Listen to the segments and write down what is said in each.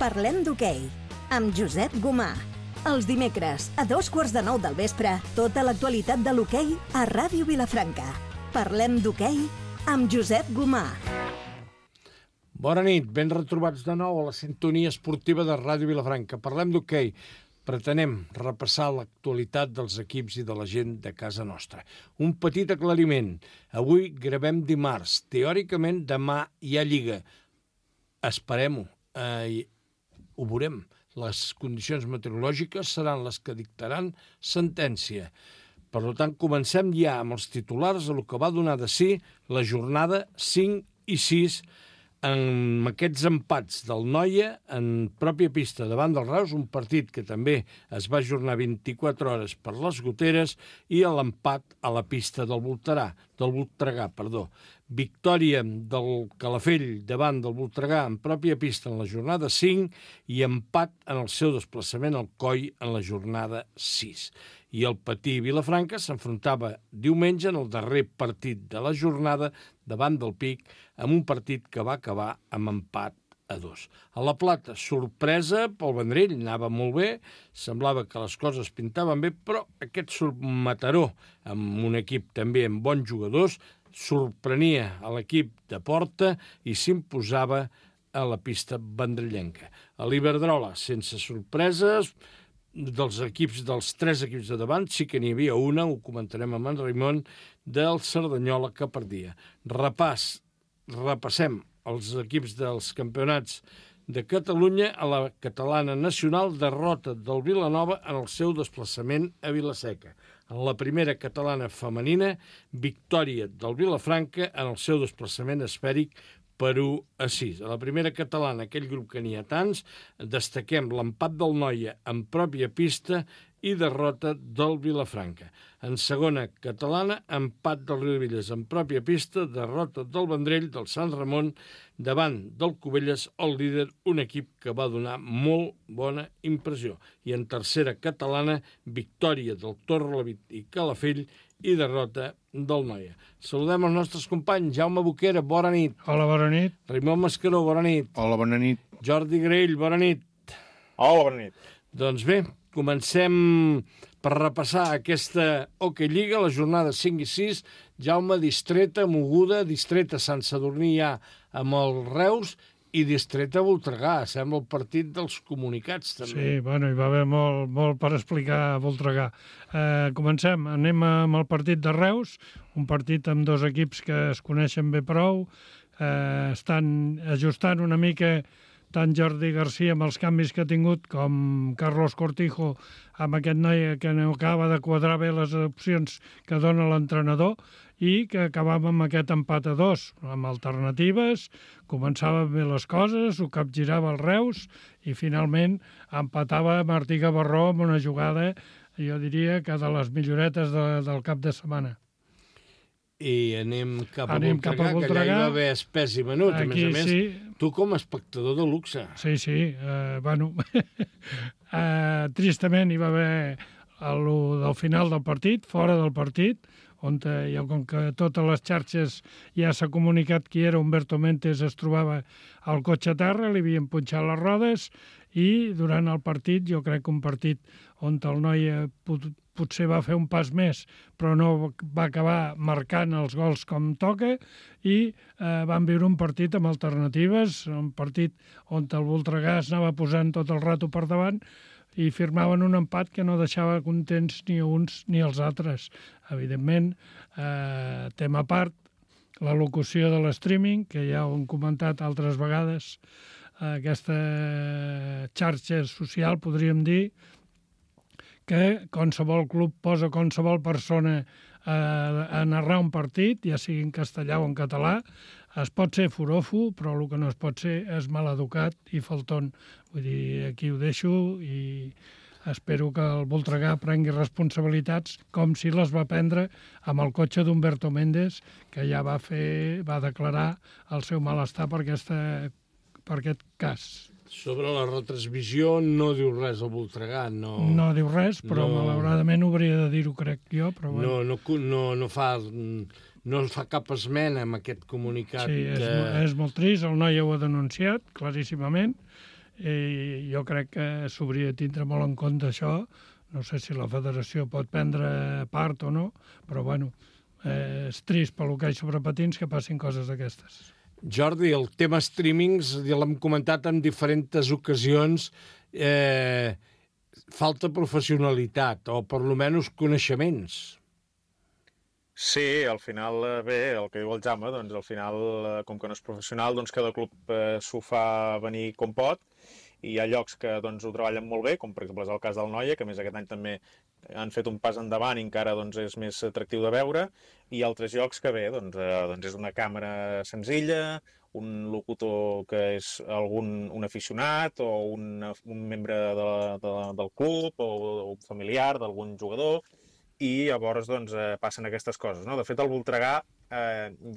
Parlem d'hoquei, amb Josep Gomà. Els dimecres, a 8:45 del vespre, tota l'actualitat de l'hoquei a Ràdio Vilafranca. Parlem d'hoquei amb Josep Gomà. Bona nit, ben retrobats de nou a la sintonia esportiva de Ràdio Vilafranca. Parlem d'hoquei. Pretenem repassar l'actualitat dels equips i de la gent de casa nostra. Un petit aclariment. Avui gravem dimarts. Teòricament demà hi ha Lliga. Esperem-ho. Ho veurem. Les condicions meteorològiques seran les que dictaran sentència. Per tant, comencem ja amb els titulars del que va donar de si la jornada 5 i 6 amb aquests empats del Noia en pròpia pista davant del Reus, un partit que també es va ajornar 24 hores per les goteres, i l'empat a la pista del Voltregà. Victòria del Calafell davant del Voltregà en pròpia pista en la jornada 5 i empat en el seu desplaçament al Coll en la jornada 6. I el Patí Vilafranca s'enfrontava diumenge en el darrer partit de la jornada davant del Pic, amb un partit que va acabar amb empat a 2. A la Plata, sorpresa pel Vendrell, anava molt bé, semblava que les coses pintaven bé, però aquest Mataró, amb un equip també amb bons jugadors, sorprenia a l'equip de Porta i s'imposava a la pista vendrellenca. A l'Iberdrola, sense sorpreses, dels tres equips de davant, sí que n'hi havia una, ho comentarem amb en Raimon, del Cerdanyola que perdia. Repassem els equips dels campionats de Catalunya. A la catalana nacional, derrota del Vilanova en el seu desplaçament a Vilaseca. En la primera catalana femenina, victòria del Vilafranca en el seu desplaçament esfèric per 1-6. A la primera catalana, aquell grup que n'hi ha tants, destaquem l'empat del Noia en pròpia pista i derrota del Vilafranca. En segona catalana, empat del Riudebitlles en pròpia pista, derrota del Vendrell, del Sant Ramon, davant del Cubelles, el líder, un equip que va donar molt bona impressió. I en tercera catalana, victòria del Torrelavit i Calafell i derrota del Noia. Saludem els nostres companys. Jaume Boquera, bona nit. Hola, bona nit. Raimon Mascaró, bona nit. Hola, bona nit. Jordi Grell, bona nit. Hola, bona nit. Doncs bé, comencem per repassar aquesta Hockey Lliga, la jornada 5 i 6. Jaume, distreta, moguda, distreta Sant Sadurní ja amb el Reus i distreta Voltregà. Sembla el partit dels comunicats, també. Sí, bueno, hi va haver molt per explicar a Voltregà. Comencem, anem amb el partit de Reus, un partit amb dos equips que es coneixen bé prou, estan ajustant una mica tant Jordi Garcia amb els canvis que ha tingut com Carlos Cortijo amb aquest noi que no acaba de quadrar bé les opcions que dona l'entrenador i que acabava amb aquest empat a 2, amb alternatives, començaven bé les coses, ho capgirava el Reus i finalment empatava Martí Gavarró amb una jugada, jo diria que de les milloretes del cap de setmana. I anem cap a Voltregà, que allà hi va haver espès i menut. Aquí, a més, sí. Tu com a espectador de luxe. Sí, bueno, tristament hi va haver del final del partit, fora del partit, on com que totes les xarxes ja s'ha comunicat qui era Humberto Méndez, es trobava al cotxe a terra, li havien punxat les rodes i durant el partit, jo crec que un partit on el noi potser va fer un pas més, però no va acabar marcant els gols com toca i van viure un partit amb alternatives, un partit on el Voltregà anava posant tot el rato per davant i firmaven un empat que no deixava contents ni uns ni els altres. Evidentment, tema a part, la locució de l'streaming, que ja ho hem comentat altres vegades, aquesta xarxa social, podríem dir, que qualsevol club posa qualsevol persona a narrar un partit, ja sigui en castellà o en català. Es pot ser forofo, però el que no es pot ser és maleducat i falton. Vull dir, aquí ho deixo i espero que el Voltregà prengui responsabilitats com si les va prendre amb el cotxe d'Humberto Méndez, que ja va declarar el seu malestar per aquest cas. Sobre la retransmissió no diu res el Voltregà, no... No diu res, però malauradament hauria de dir-ho, crec jo, però bueno. No fa cap esmena amb aquest comunicat. Sí, és molt trist, el noi ho ha denunciat, claríssimament, i jo crec que s'hauria de tindre molt en compte això. No sé si la federació pot prendre part o no, però bueno, és trist pel hoquei sobre patins que passin coses d'aquestes. Jordi, el tema streamings, ja l'hem comentat en diferents ocasions, falta professionalitat, o per lo menys coneixements. Sí, al final, bé, el que diu el Jaume, doncs al final, com que no és professional, doncs cada club s'ho fa venir com pot, i hi ha llocs que doncs, ho treballen molt bé, com per exemple és el cas del Noia, que a més aquest any també han fet un pas endavant i encara doncs, és més atractiu de veure, i altres llocs que bé, doncs és una càmera senzilla, un locutor que és un aficionat o un membre del club o un familiar d'algun jugador, i llavors doncs, passen aquestes coses, no? De fet, el Voltregà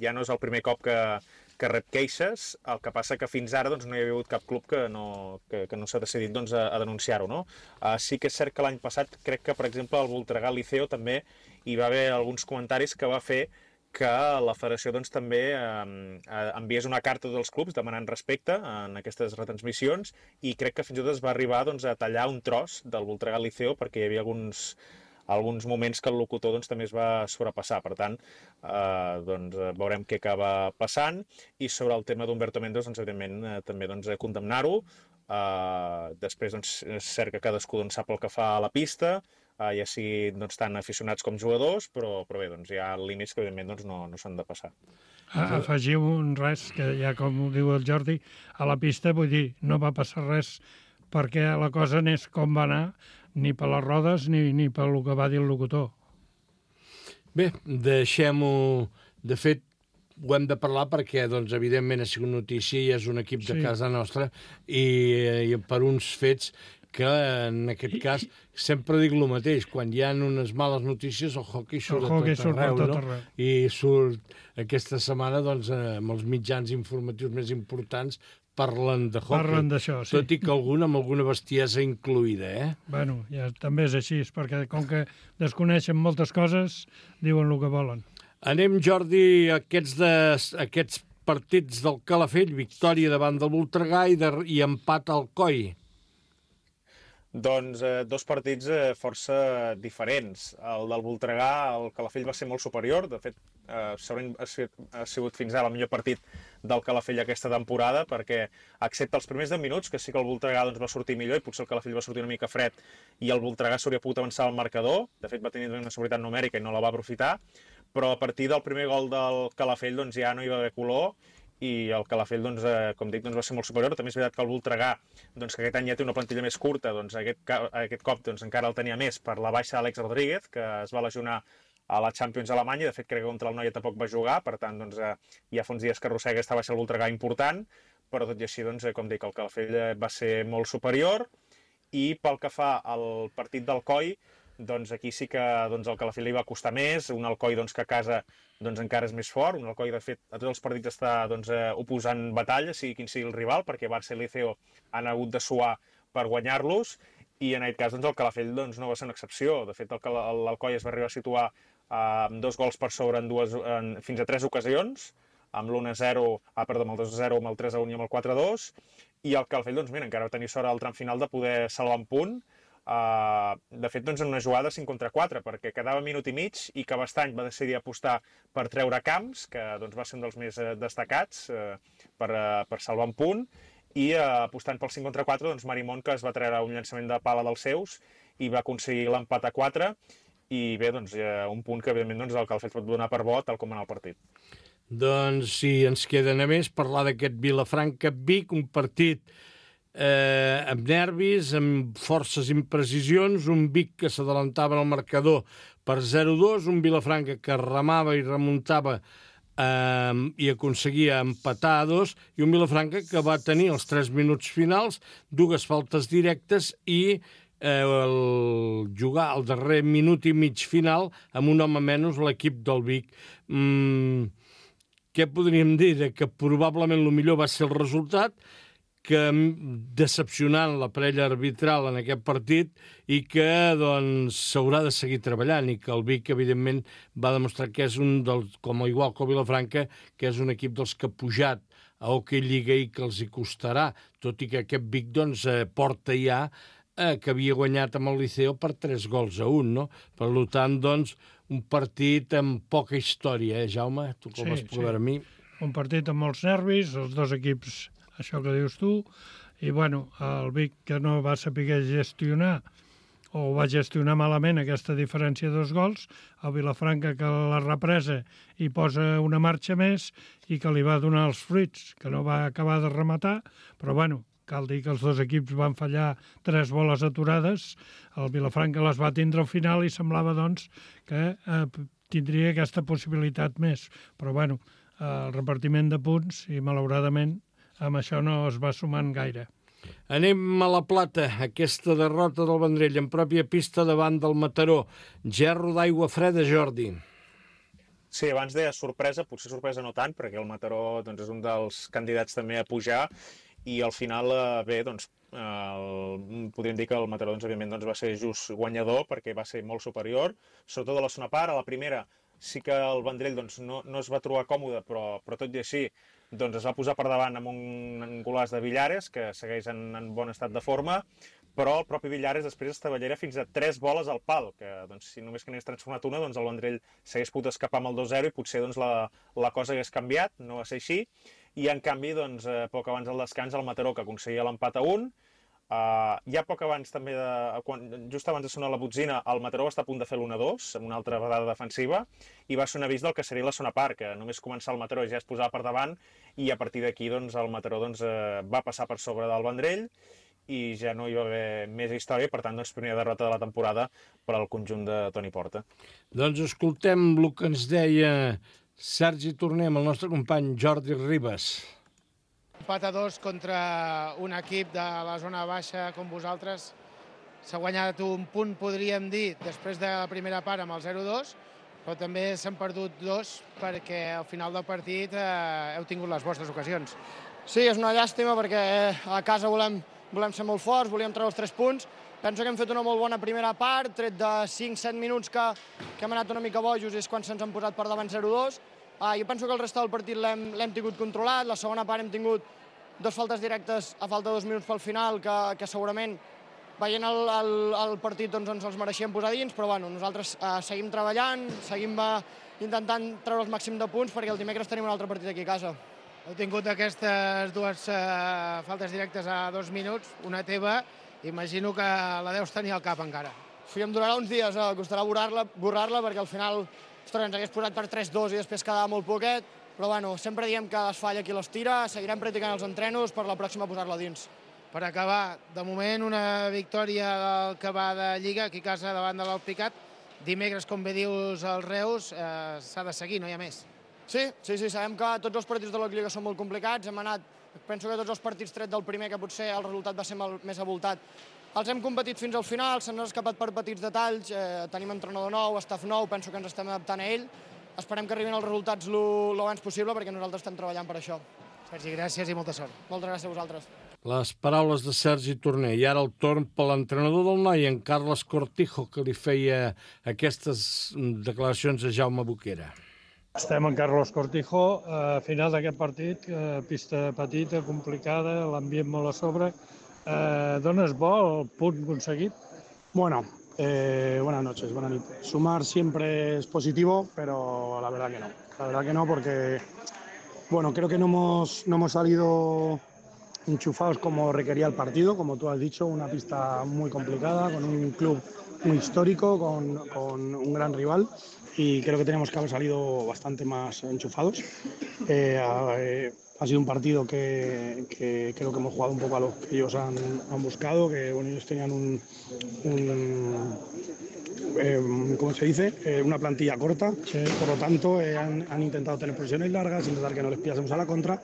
ja no és el primer cop que rep queixes, el que passa que fins ara doncs, no hi ha hagut cap club que no s'ha decidit doncs, a denunciar-ho. No? Sí que és cert que l'any passat, crec que, per exemple, al Voltregà Liceo també hi va haver alguns comentaris que va fer que la federació doncs, també enviés una carta dels clubs demanant respecte en aquestes retransmissions, i crec que fins i tot es va arribar doncs, a tallar un tros del Voltregà Liceo perquè hi havia alguns moments que el locutor doncs, també es va sobrepassar. Per tant, doncs, veurem què acaba passant. I sobre el tema d'Humberto Mendoz, doncs, evidentment, també doncs, condemnar-ho. Després doncs, és cert que cadascú doncs, sap el que fa a la pista, ja sigui doncs, tant aficionats com jugadors, però bé, doncs, hi ha límits que evidentment doncs, no s'han de passar. Afegiu res, que ja com ho diu el Jordi, a la pista, vull dir, no va passar res perquè la cosa n'és com va anar, ni per les rodes ni per el que va dir el locutor. Bé, deixem-ho. De fet, ho hem de parlar perquè, doncs, evidentment, ha sigut notícia i és un equip de casa nostra i per uns fets que, en aquest cas, sempre dic el mateix. Quan hi ha unes males notícies, el hockey surt a tot arreu, no? I surt aquesta setmana, doncs, amb els mitjans informatius més importants, parlen de hockey. Parlen d'això, sí. Tot i que amb alguna bestiesa incluïda, Bueno, ja també és així, perquè com que desconeixen moltes coses, diuen el que volen. Anem, Jordi, a aquests partits del Calafell, victòria davant del Voltregà i empat al Coi. Doncs dos partits força diferents. El del Voltregà, el Calafell va ser molt superior. De fet, ha sigut fins ara el millor partit del Calafell aquesta temporada, perquè, excepte els primers 10 minuts, que sí que el Voltregà doncs, va sortir millor i potser el Calafell va sortir una mica fred i el Voltregà s'hauria pogut avançar al marcador. De fet, va tenir una seguretat numèrica i no la va aprofitar. Però a partir del primer gol del Calafell doncs, ja no hi va haver color, i el Calafell, doncs, com dic, doncs, va ser molt superior. També és veritat que el Voltregà, doncs, que aquest any ja té una plantilla més curta, doncs, aquest cop doncs, encara el tenia més per la baixa d'Àlex Rodríguez, que es va lesionar a la Champions Alemanya. De fet, crec que contra el Noia tampoc va jugar, per tant, doncs, ja fa uns dies que arrossega aquesta baixa el Voltregà important, però tot i així, doncs, com dic, el Calafell va ser molt superior. I pel que fa al partit del Coi, doncs aquí sí que doncs, el Calafell li va costar més, un Alcoi doncs, que a casa doncs, encara és més fort, un Alcoi de fet a tots els partits està doncs, oposant batalla, sigui quin sigui el rival, perquè Barça i Liceo han hagut de suar per guanyar-los, i en aquest cas doncs, el Calafell doncs, no va ser una excepció. De fet, l'Alcoi es va arribar a situar amb 2 gols per sobre fins a 3 ocasions, amb l'1-0, amb el 2-0, amb el 3-1 i amb el 4-2, i el Calafell doncs, mira, encara va tenir sort al tram final de poder salvar un punt. De fet, doncs, en una jugada 5 contra 4, perquè quedava minut i mig i que Bastany va decidir apostar per treure Camps, que doncs, va ser un dels més destacats per salvar un punt, i apostant pel 5 contra 4, doncs, Marimón, que es va treure un llançament de pala dels seus i va aconseguir l'empat a 4, i bé, doncs, un punt que evidentment doncs, el Calafell pot donar per bo tal com en el partit. Doncs sí, ens queda només parlar d'aquest Vilafranca-Vic, un partit amb nervis, amb forces imprecisions, un Vic que s'adelantava en el marcador per 0-2, un Vilafranca que remava i remuntava i aconseguia empatar a 2, i un Vilafranca que va tenir els 3 minuts finals, 2 faltes directes i jugar el darrer minut i mig final amb un home menys l'equip del Vic. Què podríem dir? Que probablement el millor va ser el resultat, que decepcionant la parella arbitral en aquest partit i que doncs s'haurà de seguir treballant, i que el Vic evidentment va demostrar que és un dels, com igual que el Vilafranca, que és un equip dels que ha pujat a Hockey Lliga i que els hi costarà, tot i que aquest Vic doncs, porta ja que havia guanyat amb el Liceo per 3-1, no? Per tant, doncs, un partit amb poca història, Jaume? Tu com vas poder veure a mi? Un partit amb molts nervis, els dos equips, això que dius tu, i bueno, el Vic que no va saber gestionar o va gestionar malament aquesta diferència de 2 gols, el Vilafranca que la represa i posa una marxa més i que li va donar els fruits, que no va acabar de rematar, però bueno, cal dir que els dos equips van fallar 3 boles aturades, el Vilafranca les va tindre al final i semblava doncs que tindria aquesta possibilitat més, però bueno, el repartiment de punts i malauradament amb això no es va sumant gaire. Anem a la Plata, aquesta derrota del Vendrell en pròpia pista davant del Mataró. Gerro d'aigua freda, Jordi. Sí, abans deia sorpresa, potser sorpresa no tant, perquè el Mataró doncs, és un dels candidats també a pujar, i al final, bé, doncs, podríem dir que el Mataró, doncs, òbviament, doncs, va ser just guanyador, perquè va ser molt superior, sobretot a la segona part. A la primera sí que el Vendrell doncs, no es va trobar còmode, però tot i així doncs, es va posar per davant amb un golaç de Villares, que segueix en bon estat de forma, però el propi Villares després estavellera fins a 3 boles al pal, que doncs, si només que n'hagués transformat una, doncs el Vendrell s'hagués pogut escapar amb el 2-0 i potser doncs, la cosa hagués canviat, no va ser així, i en canvi, doncs, poc abans del descans, el Mataró, que aconseguia l'empat a 1, ja poc abans també, just abans de sonar la botzina, el Mataró va estar a punt de fer l'1-2, amb una altra vegada defensiva, i va ser un avís del que seria la segona part, que només començar el Mataró ja es posava per davant, i a partir d'aquí doncs, el Mataró doncs, va passar per sobre del Vendrell, i ja no hi va haver més història, per tant, doncs, primera derrota de la temporada per al conjunt de Toni Porta. Doncs escoltem el que ens deia Sergi Torner amb el nostre company Jordi Ribas. Empat a 2 contra un equip de la zona baixa com vosaltres. S'ha guanyat un punt, podríem dir, després de la primera part amb el 0-2, però també s'han perdut 2 perquè al final del partit heu tingut les vostres ocasions. Sí, és una llàstima perquè a casa volem ser molt forts, volíem treure els 3 punts. Penso que hem fet una molt bona primera part, tret de 5-7 minuts que hem anat una mica bojos i és quan se'ns han posat per davant 0-2. Jo penso que el resta del partit l'hem tingut controlat. La segona part hem tingut 2 faltes directes a falta de 2 minuts pel final que segurament veient el partit doncs, ens els mereixíem posar dins, però bueno, nosaltres seguim treballant, seguim intentant treure el màxim de punts perquè el dimecres tenim un altre partit aquí a casa. Heu tingut aquestes 2 faltes directes a 2 minuts, una teva, imagino que la deus tenir al cap encara. Sí, em donarà uns dies, costarà borrar-la perquè al final ens hagués posat per 3-2 i després quedava molt poquet, però bueno, sempre diem que es falla qui les tira, seguirem practicant els entrenos per la pròxima posar-la dins. Per acabar, de moment una victòria del que va de Lliga aquí a casa davant de l'Alpicat. Dimecres, com bé dius, els Reus s'ha de seguir, no hi ha més. Sí, sabem que tots els partits de la Lliga són molt complicats, penso que tots els partits tret del primer, que potser el resultat va ser més avoltat, els hem competit fins al final, se'ns han escapat per petits detalls, tenim entrenador nou, staff nou, penso que ens estem adaptant a ell. Esperem que arribin els resultats l'abans possible perquè nosaltres estem treballant per això. Sergi, gràcies i molta sort. Moltes gràcies a vosaltres. Les paraules de Sergi Torner. I ara el torn per l'entrenador del noi, en Carles Cortijo, que li feia aquestes declaracions a Jaume Boquera. Estem en Carlos Cortijo, a final d'aquest partit, pista petita, complicada, l'ambient molt a sobre. ¿Dones bo el punt aconseguit? Bueno, buenas noches, buenas noches. Sumar siempre es positivo, pero la verdad que no. La verdad que no porque, bueno, creo que no hemos salido enchufados como requería el partido, como tú has dicho, una pista muy complicada, con un club muy histórico, con un gran rival. Y creo que tenemos que haber salido bastante más enchufados. Ha sido un partido que creo que hemos jugado un poco a lo que ellos han buscado, que bueno, ellos tenían ¿cómo se dice? Una plantilla corta, sí. Por lo tanto han intentado tener posiciones largas, intentar que no les pillásemos a la contra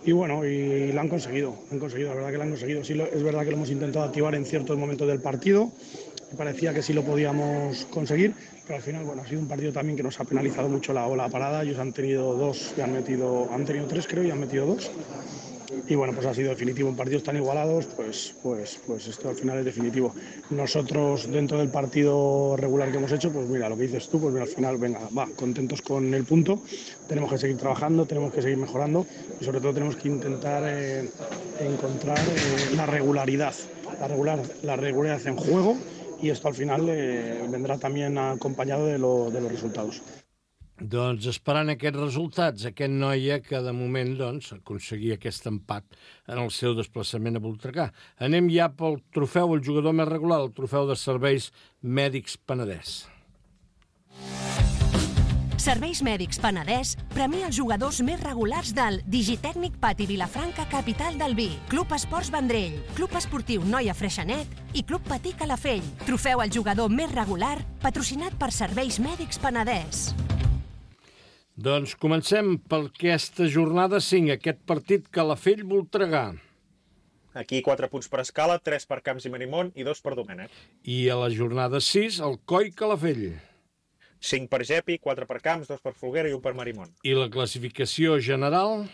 y bueno, y la han conseguido, la verdad que la han conseguido. Sí, es verdad que lo hemos intentado activar en ciertos momentos del partido, me parecía que sí lo podíamos conseguir, pero al final bueno, ha sido un partido también que nos ha penalizado mucho la parada. Ellos han tenido 2 y han tenido 3 creo y han metido 2 y bueno, pues ha sido definitivo. En partidos tan igualados, pues esto al final es definitivo. Nosotros, dentro del partido regular que hemos hecho, pues mira, lo que dices tú, pues mira, al final, venga, contentos con el punto, tenemos que seguir trabajando, tenemos que seguir mejorando y sobre todo tenemos que intentar encontrar la regularidad en juego, y esto al final vendrà también acompanyado de los resultados. Doncs esperant aquests resultats, aquest noia que de moment aconseguia aquest empat en el seu desplaçament a Voltregà. Anem ja pel trofeu, el jugador més regular, el trofeu de Serveis Mèdics Penedès. Serveis Mèdics Penedès premia els jugadors més regulars del Digitècnic Pati Vilafranca, capital del vi, Club Esports Vendrell, Club Esportiu Noia Freixenet i Club Patí Calafell. Trofeu al jugador més regular, patrocinat per Serveis Mèdics Penedès. Doncs comencem per aquesta jornada 5, aquest partit Calafell-Voltregà. Aquí 4 punts per Escala, 3 per Camps i Marimón i 2 per Domènec. I a la jornada 6, el Coi-Calafell. 5 per Gepi, 4 per Camps, 2 per Folguera i 1 per Marimón. I la classificació general?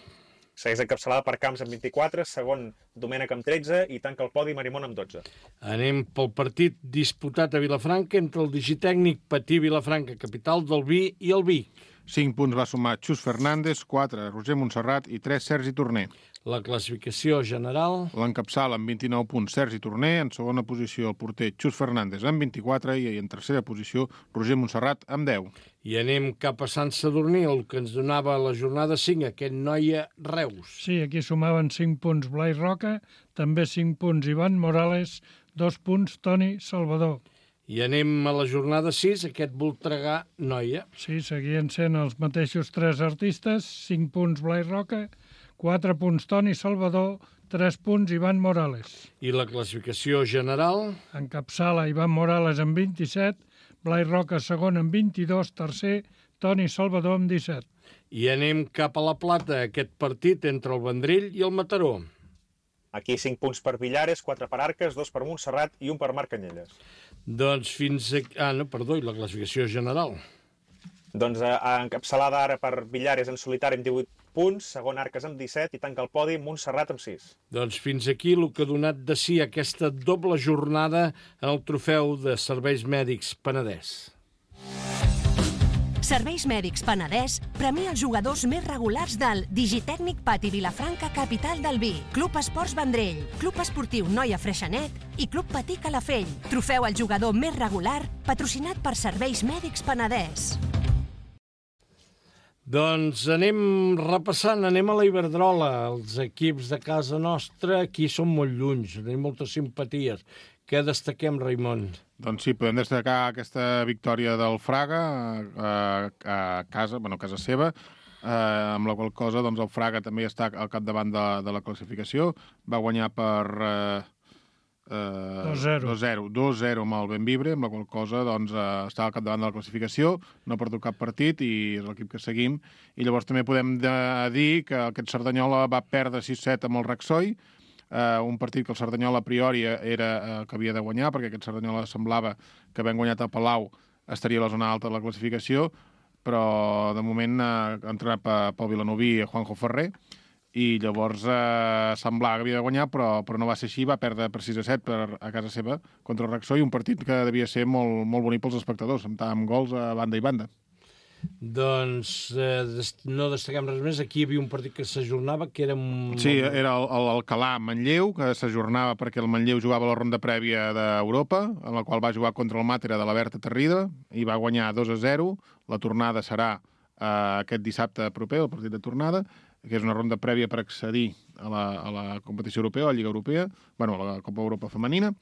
Segueix encapçalada per Camps amb 24, segon Domènec amb 13 i tanca el podi Marimón amb 12. Anem pel partit disputat a Vilafranca entre el Digitècnic Patí Vilafranca, capital del vi, i el Vic. 5 punts va sumar Xus Fernández, 4 Roger Montserrat i 3 Sergi Torner. La classificació general? L'encapçala amb 29 punts Sergi Torner, en segona posició el porter Xus Fernández amb 24 i en tercera posició Roger Montserrat amb 10. I anem cap a Sant Sadurní, el que ens donava la jornada 5, aquest Noia Reus. Sí, aquí sumaven 5 punts Blai Roca, també 5 punts Ivan Morales, 2 punts Toni Salvador. I anem a la jornada 6, aquest Voltregà Noia. Sí, seguien sent els mateixos 3 artistes, 5 punts Blai Roca, 4 punts Toni Salvador, 3 punts Ivan Morales. I la classificació general? Encapçala Ivan Morales amb 27, Blai Roca segon amb 22, tercer Toni Salvador amb 17. I anem cap a la Plata, aquest partit entre el Vendrell i el Mataró. Aquí 5 punts per Villares, 4 per Arques, 2 per Montserrat i 1 per Marc Canyelles. Doncs fins aquí... i la classificació general? Doncs encapçalada ara per Villares en solitari amb 18 punts, segon Arques amb 17 i tanca el podi Montserrat amb 6. Doncs fins aquí el que ha donat de si aquesta doble jornada en el trofeu de Serveis Mèdics Penedès. Serveis Mèdics Penedès premia els jugadors més regulars del Digitècnic Pati Vilafranca, capital del vi, Club Esports Vendrell, Club Esportiu Noia Freixenet i Club Patí Calafell. Trofeu al jugador més regular, patrocinat per Serveis Mèdics Penedès. Doncs anem repassant, anem a la Iberdrola. Els equips de casa nostra aquí són molt lluny, tenim moltes simpaties. Què destaquem, Raimon? Doncs sí, podem destacar aquesta victòria del Fraga a casa seva, amb la qual cosa doncs, el Fraga també està al capdavant de la classificació. Va guanyar per 2-0 amb el Benvibre, amb la qual cosa doncs, està al capdavant de la classificació, no ha perdut cap partit i és l'equip que seguim. I llavors també podem dir que aquest Cerdanyola va perdre 6-7 amb el Raxoi, un partit que el Cerdanyola a priori era que havia de guanyar, perquè aquest Cerdanyola semblava que havent guanyat a Palau estaria a la zona alta de la classificació, però de moment ha entrenat pel Vilanoví Juanjo Ferrer, i llavors semblava que havia de guanyar, però no va ser així, va perdre per 6-7 a casa seva contra el Raxoi, un partit que devia ser molt, molt bonic pels espectadors, amb gols a banda i banda. Doncs no destaquem res més. Aquí hi havia un partit que s'ajornava, que era... Sí, era l'Alcalà-Manlleu, que s'ajornava perquè el Manlleu jugava la ronda prèvia d'Europa, en la qual va jugar contra el Màtera de la Berta Terrida, i va guanyar 2-0. La tornada serà aquest dissabte proper, el partit de tornada, que és una ronda prèvia per accedir a la competició europea, a la Lliga Europea, a la Copa Europa Femenina,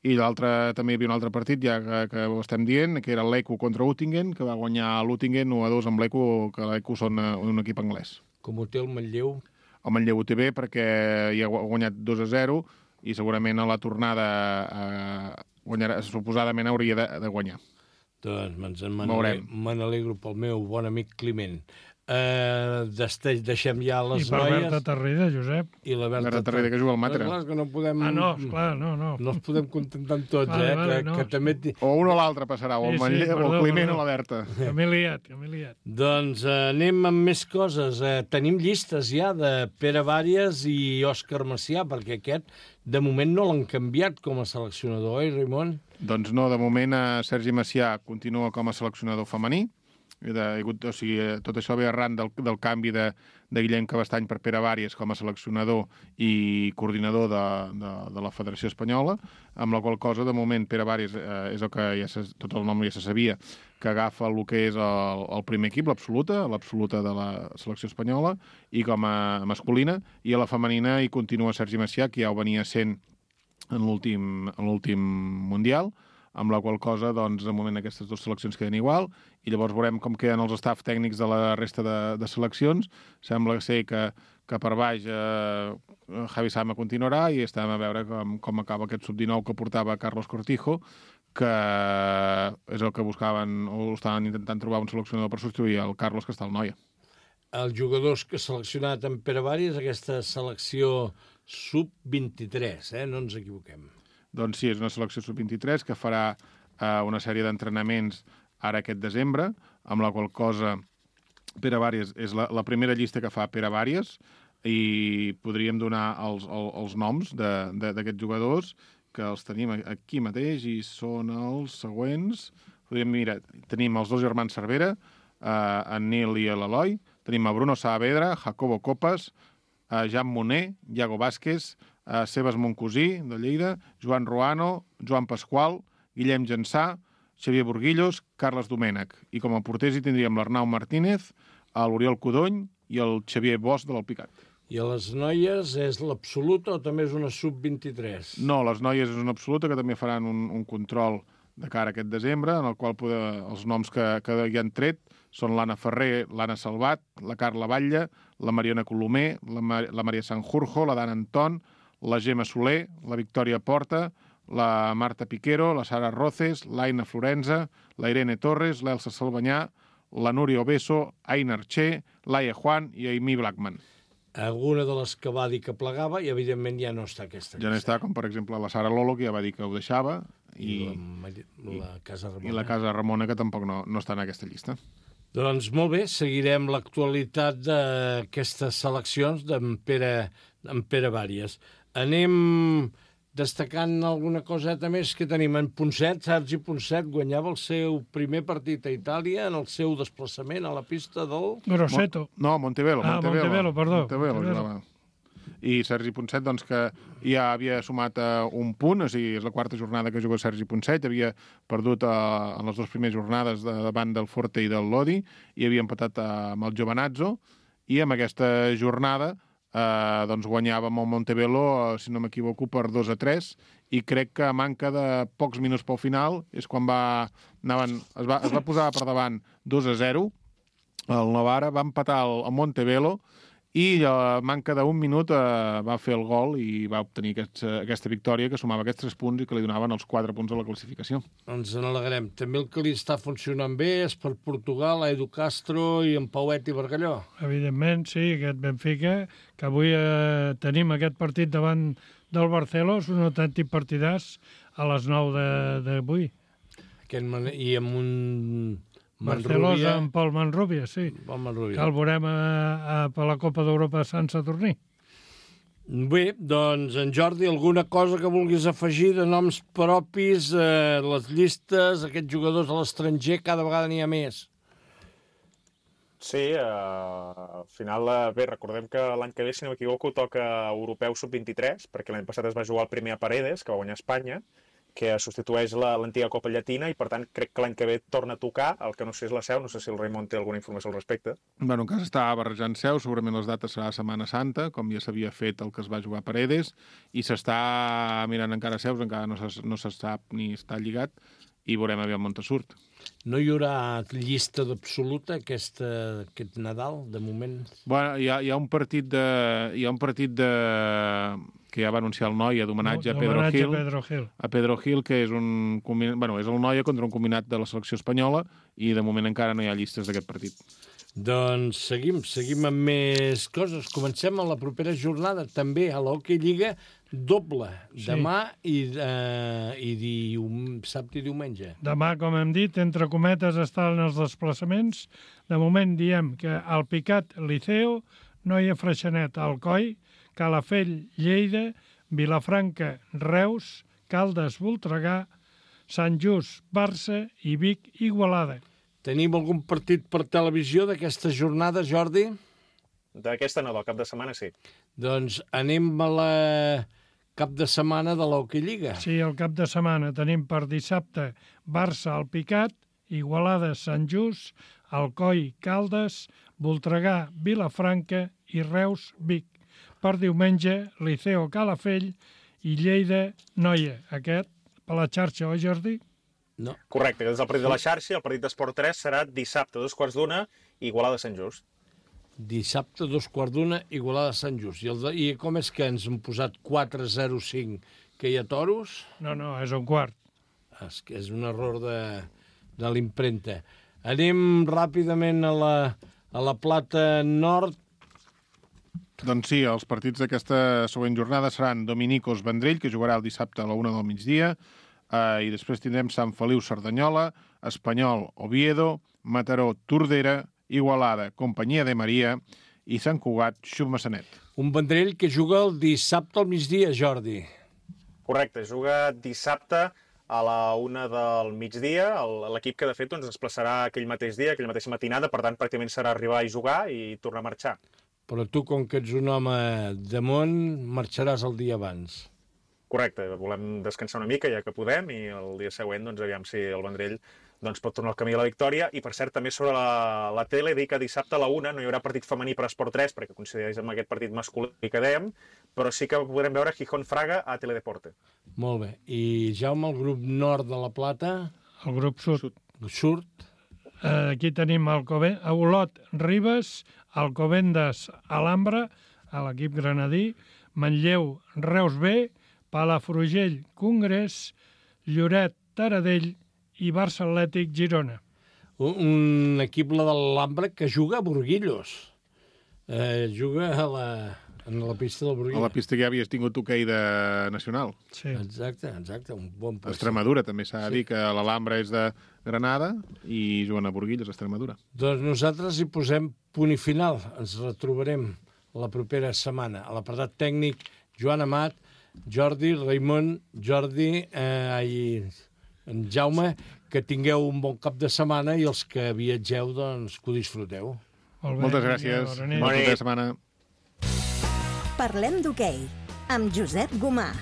i també hi havia un altre partit, ja que ho estem dient, que era l'Eco contra Uttingen, que va guanyar l'Uttingen 1-2 amb l'Eco, que l'Eco són un equip anglès. Com ho té el Manlleu? El Manlleu ho té bé perquè hi ha guanyat 2-0 i segurament a la tornada suposadament hauria de guanyar. Doncs me n'alegro pel meu bon amic Climent. Deixem ja les noies. I per Berta Tarrida, Josep. I la Berta Tarrida, que juga al Matre. Clar, que no podem... no, esclar, no. No els podem contentar amb tots, que també... O un o l'altre passarà, o el Climent o la Berta. Que m'he liat. Doncs anem amb més coses. Tenim llistes ja de Pere Vàries i Òscar Macià, perquè aquest, de moment, no l'han canviat com a seleccionador, Raimon? Doncs no, de moment Sergi Macià continua com a seleccionador femení. Tot això ve arran del canvi de Guillem Cabestany per Pere Vàries com a seleccionador i coordinador de la Federació Espanyola, amb la qual cosa, de moment, Pere Vàries és el que tot el nom ja se sabia, que agafa el que és el primer equip, l'absoluta de la selecció espanyola, i com a masculina, i a la femenina hi continua Sergi Macià, que ja ho venia sent en l'últim Mundial, amb la qual cosa, doncs, de moment aquestes dues seleccions queden igual, i llavors veurem com queden els staff tècnics de la resta de seleccions. Sembla ser que per baix Javi Sama continuarà, i estem a veure com acaba aquest sub-19 que portava Carlos Cortijo, que és el que buscaven, o estaven intentant trobar un seleccionador per substituir el Carlos, que està al Noia. Els jugadors que ha seleccionat en Pere Vàries, aquesta selecció sub-23, no ens equivoquem. Doncs sí, és una selecció sub-23 que farà una sèrie d'entrenaments ara aquest desembre, amb la qual cosa Pere Vàries és la primera llista que fa Pere Vàries, i podríem donar els noms d'aquests jugadors, que els tenim aquí mateix, i són els següents. Tenim els dos germans Cervera, en Nil i l'Eloi, tenim a Bruno Saavedra, Jacobo Copas, Jan Moner, Iago Vázquez, Sebas Moncosí, de Lleida, Joan Ruano, Joan Pasqual, Guillem Jansà, Xavier Burguillos, Carles Domènech. I com a porters hi tindríem l'Arnau Martínez, l'Oriol Codony i el Xavier Bosch de l'Alpicat. I a les noies és l'absoluta o també és una sub-23? No, les noies és una absoluta, que també faran un control de cara a aquest desembre, en el qual els noms que hi han tret són l'Anna Ferrer, l'Anna Salvat, la Carla Batlle, la Mariona Colomer, la Maria Sanjurjo, la Dana Anton, la Gemma Soler, la Victòria Porta, la Marta Piquero, la Sara Roces, l'Aina Florenza, la Irene Torres, l'Elsa Salvanyà, la Núria Obeso, Aina Archer, l'Aia Juan i Aimí Blackman. Alguna de les que va dir que plegava i, evidentment, ja no està aquesta llista. Ja no està, com per exemple la Sara Lolo, que ja va dir que ho deixava, i la Casa Ramona. I la Casa Ramona, que tampoc no està en aquesta llista. Doncs molt bé, seguirem l'actualitat d'aquestes seleccions d'en Pere Vàries. Anem destacant alguna coseta més que tenim. En Ponset, Sergi Ponset guanyava el seu primer partit a Itàlia en el seu desplaçament a la pista del... Grosseto. No, Montebello. Montebello, perdó. Montebello. I Sergi Ponset, doncs, que ja havia sumat un punt, o sigui, és la quarta jornada que juga Sergi Ponset, havia perdut en les dues primeres jornades davant del Forte i del Lodi, i havia empatat amb el Giovanazzo, i amb aquesta jornada doncs guanyava amb el Montebello, si no m'equivoco, per 2-3, i crec que a manca de pocs minuts pel final és quan es va posar per davant 2-0, el Novara va empatar el Montebello, i a manca d'un minut va fer el gol i va obtenir aquesta victòria, que sumava aquests 3 punts i que li donaven els 4 punts a la classificació. Ens n'alegrem. També el que li està funcionant bé és per Portugal, Edu Castro i en Pauet i Bargalló. Evidentment, sí, aquest Benfica, que avui tenim aquest partit davant del Barceló, és un autèntic partidàs a les 9 d'avui. I amb un... Barcelosa amb Pol Manrubia, sí. Que el veurem per la Copa d'Europa de Sant Saturní. Bé, doncs, en Jordi, alguna cosa que vulguis afegir de noms propis, les llistes, aquests jugadors a l'estranger, cada vegada n'hi ha més. Sí, al final, bé, recordem que l'any que ve, si no m'equivoco, toca Europeu Sub-23, perquè l'any passat es va jugar el primer a Paredes, que va guanyar Espanya, que substitueix l'antiga Copa Llatina, i per tant crec que l'any que ve torna a tocar, el que no sé és la seu, no sé si el Raimon té alguna informació al respecte. Bueno, encara està barrejant seu, segurament les dates serà Setmana Santa, com ja s'havia fet el que es va jugar a Paredes, i s'està mirant encara seus, encara no se sap ni està lligat, i veurem aviam on surt. No hi haurà llista d'absoluta aquest Nadal, de moment? Bueno, hi ha un partit que ja va anunciar el Noia d'homenatge a Pedro Gil. A Pedro Gil, que és és el Noia contra un combinat de la selecció espanyola, i de moment encara no hi ha llistes d'aquest partit. Doncs seguim amb més coses. Comencem a la propera jornada, també a l'Hockey Lliga, doble, demà i dissabte i diumenge. Demà, com hem dit, entre cometes estan els desplaçaments. De moment diem que el Picat, Liceo, Noia Freixenet, Alcoi, Calafell, Lleida, Vilafranca, Reus, Caldes, Voltregà, Sant Just, Barça i Vic, Igualada. Tenim algun partit per televisió d'aquesta jornada, Jordi? D'aquesta no, del cap de setmana sí. Doncs anem a la cap de setmana de l'Hockey Lliga. Sí, el cap de setmana tenim per dissabte Barça, el Picat, Igualada, Sant Just, Alcoi, Caldes, Voltregà, Vilafranca i Reus, Vic. Per diumenge, Liceo, Calafell i Lleida, Noia. Aquest per la xarxa, oi, Jordi? No. Correcte, aquest és el partit de la xarxa, el partit d'Esport 3 serà dissabte, 2:15, Igualada Sant Just. Dissabte, 2:15, Igualada Sant Just. I com és que ens han posat 4-0-5, que hi ha toros? No, és un quart. És un error de l'impremta. Anem ràpidament a la Plata Nord. Doncs sí, els partits d'aquesta següent jornada seran Dominicos Vendrell, que jugarà el dissabte a la 1 del migdia, i després tindrem Sant Feliu Cerdanyola, Espanyol Oviedo, Mataró Tordera, Igualada Companyia de Maria i Sant Cugat Xub-Massanet. Un Vendrell que juga el dissabte al migdia, Jordi. Correcte, juga dissabte a la 1 del migdia. L'equip que de fet es desplaçarà aquell mateix dia, aquella mateixa matinada, per tant pràcticament serà arribar i jugar i tornar a marxar. Però tu, com que ets un home de món, marxaràs el dia abans. Correcte, volem descansar una mica ja que podem i el dia següent doncs, aviam si el Vendrell pot tornar al camí de la victòria. I per cert, també sobre la tele, dir que dissabte a la 1 no hi haurà partit femení per Esport 3 perquè coincideix amb aquest partit masculí que dèiem, però sí que podrem veure Gijón Fraga a Teledeporte. Molt bé. I Jaume, el grup nord de la Plata? El grup sud. Surt? Aquí tenim Olot Ribes, Alcobendas Alhambra, a l'equip granadí, Manlleu Reus B, Palafrugell Congrés, Lloret Taradell i Barça Atlètic Girona. Un equip, la de l'Alhambra, que juga a Burguillos. Juga en la pista del Burguillos. A la pista que ja havies tingut hoquei de nacional. Sí. Exacte, un bon pista. Extremadura, també s'ha de dir que l'Alhambra és de Granada i juguen a Burguillos, Extremadura. Doncs nosaltres hi posem punt i final. Ens retrobarem la propera setmana. A l'apartat tècnic, Joan Amat, Jordi, Raimon, en Jaume, que tingueu un bon cap de setmana i els que viatgeu, doncs, que ho disfruteu. Moltes gràcies. Bona cap de setmana. Parlem d'hoquei, amb Josep Gomà.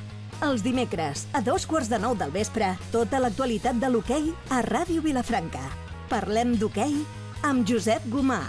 Els dimecres, a 9:15 del vespre, tota l'actualitat de l'hoquei a Ràdio Vilafranca. Parlem d'hoquei amb Josep Gomà.